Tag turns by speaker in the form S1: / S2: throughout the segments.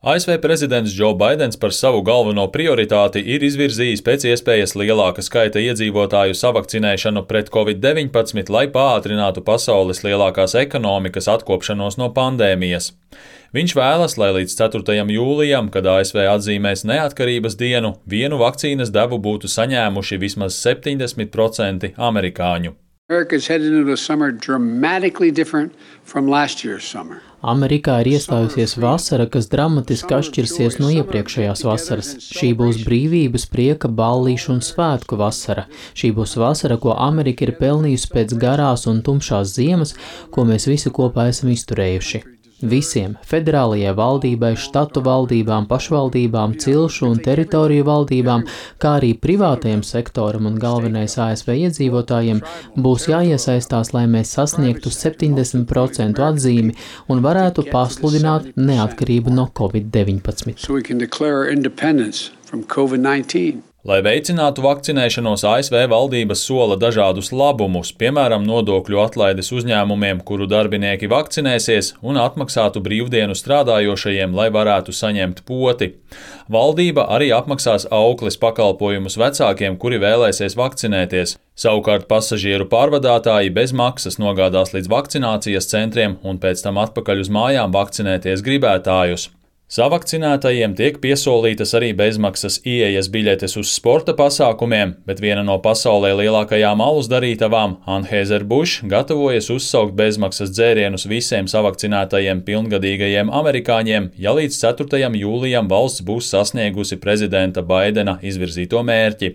S1: ASV prezidents Džo Baidens par savu galveno prioritāti ir izvirzījis pēc iespējas lielāka skaita iedzīvotāju savakcinēšanu pret Covid-19, lai pātrinātu pasaules lielākās ekonomikas atkopšanos no pandēmijas. Viņš vēlas, lai līdz 4. jūlijam, kad ASV atzīmēs neatkarības dienu, vienu vakcīnas devu būtu saņēmuši vismaz 70% amerikāņu.
S2: Amerikā ir iestājusies vasara, kas dramatiski atšķirsies no iepriekšējās vasaras. Šī būs brīvības, prieka, ballīšu un svētku vasara. Šī būs vasara, ko Amerika ir pelnījusi pēc garās un tumšās ziemas, ko mēs visi kopā esam izturējuši. Visiem – federālajai valdībai, štatu valdībām, pašvaldībām, cilšu un teritoriju valdībām, kā arī privātajam sektoram un galvenais ASV iedzīvotājiem būs jāiesaistās, lai mēs sasniegtu 70% atzīmi un varētu pasludināt neatkarību no Covid-19.
S1: Lai veicinātu vakcinēšanos, ASV valdības sola dažādus labumus, piemēram, nodokļu atlaides uzņēmumiem, kuru darbinieki vakcinēsies, un atmaksātu brīvdienu strādājošajiem, lai varētu saņemt poti. Valdība arī apmaksās aukles pakalpojumus vecākiem, kuri vēlēsies vakcinēties. Savukārt pasažieru pārvadātāji bez maksas nogādās līdz vakcinācijas centriem un pēc tam atpakaļ uz mājām vakcinēties gribētājus. Savakcinētajiem tiek piesolītas arī bezmaksas ieejas biļetes uz sporta pasākumiem, bet viena no pasaulē lielākajām alus darītavām, Anheuser-Busch, gatavojas uzsaukt bezmaksas dzērienus visiem savakcinētajiem pilngadīgajiem amerikāņiem, ja līdz 4. jūlijam valsts būs sasniegusi prezidenta Baidena izvirzīto mērķi.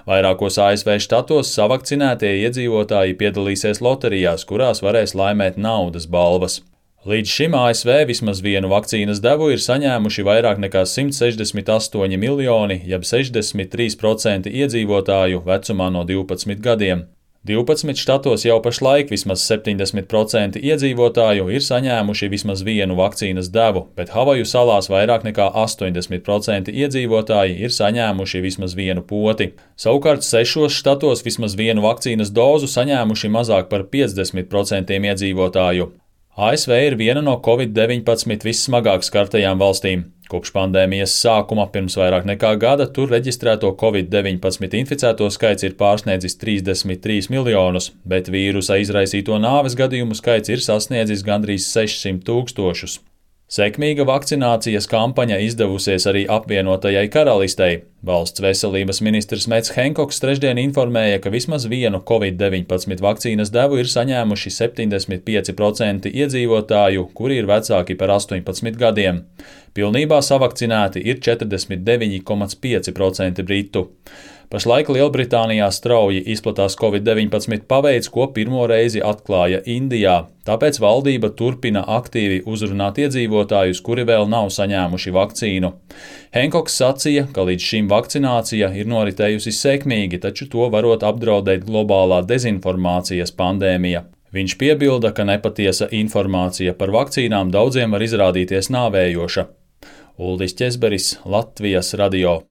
S1: Vairākos ASV štatos savakcinētie iedzīvotāji piedalīsies loterijās, kurās varēs laimēt naudas balvas. Līdz šim ASV vismaz vienu vakcīnas devu ir saņēmuši vairāk nekā 168 miljoni, jeb 63% iedzīvotāju vecumā no 12 gadiem. 12 štatos jau pašlaik vismaz 70% iedzīvotāju ir saņēmuši vismaz vienu vakcīnas devu, bet Havaju salās vairāk nekā 80% iedzīvotāji ir saņēmuši vismaz vienu poti. Savukārt 6 štatos vismaz vienu vakcīnas dozu saņēmuši mazāk par 50% iedzīvotāju. ASV ir viena no Covid-19 vissmagāk skartajām valstīm. Kopš pandēmijas sākuma pirms vairāk nekā gada tur reģistrēto Covid-19 inficēto skaits ir pārsniedzis 33 miljonus, bet vīrusa izraisīto nāves gadījumu skaits ir sasniedzis gandrīz 600 000. Sekmīga vakcinācijas kampaņa izdevusies arī apvienotajai karalistei. Valsts veselības ministrs Mets Henkoks trešdien informēja, ka vismaz vienu Covid-19 vakcīnas devu ir saņēmuši 75% iedzīvotāju, kuri ir vecāki par 18 gadiem. Pilnībā savakcinēti ir 49,5% britu. Pašlaik Lielbritānijā strauji izplatās Covid-19 paveids, ko pirmo reizi atklāja Indijā. Tāpēc valdība turpina aktīvi uzrunāt iedzīvotājus, kuri vēl nav saņēmuši vakcīnu. Henkoks sacīja, ka līdz šim vakcinācija ir noritējusi sekmīgi, taču to varot apdraudēt globālā dezinformācijas pandēmija. Viņš piebilda, ka nepatiesa informācija par vakcīnām daudziem var izrādīties nāvējoša. Uldis Ķezberis, Latvijas radio.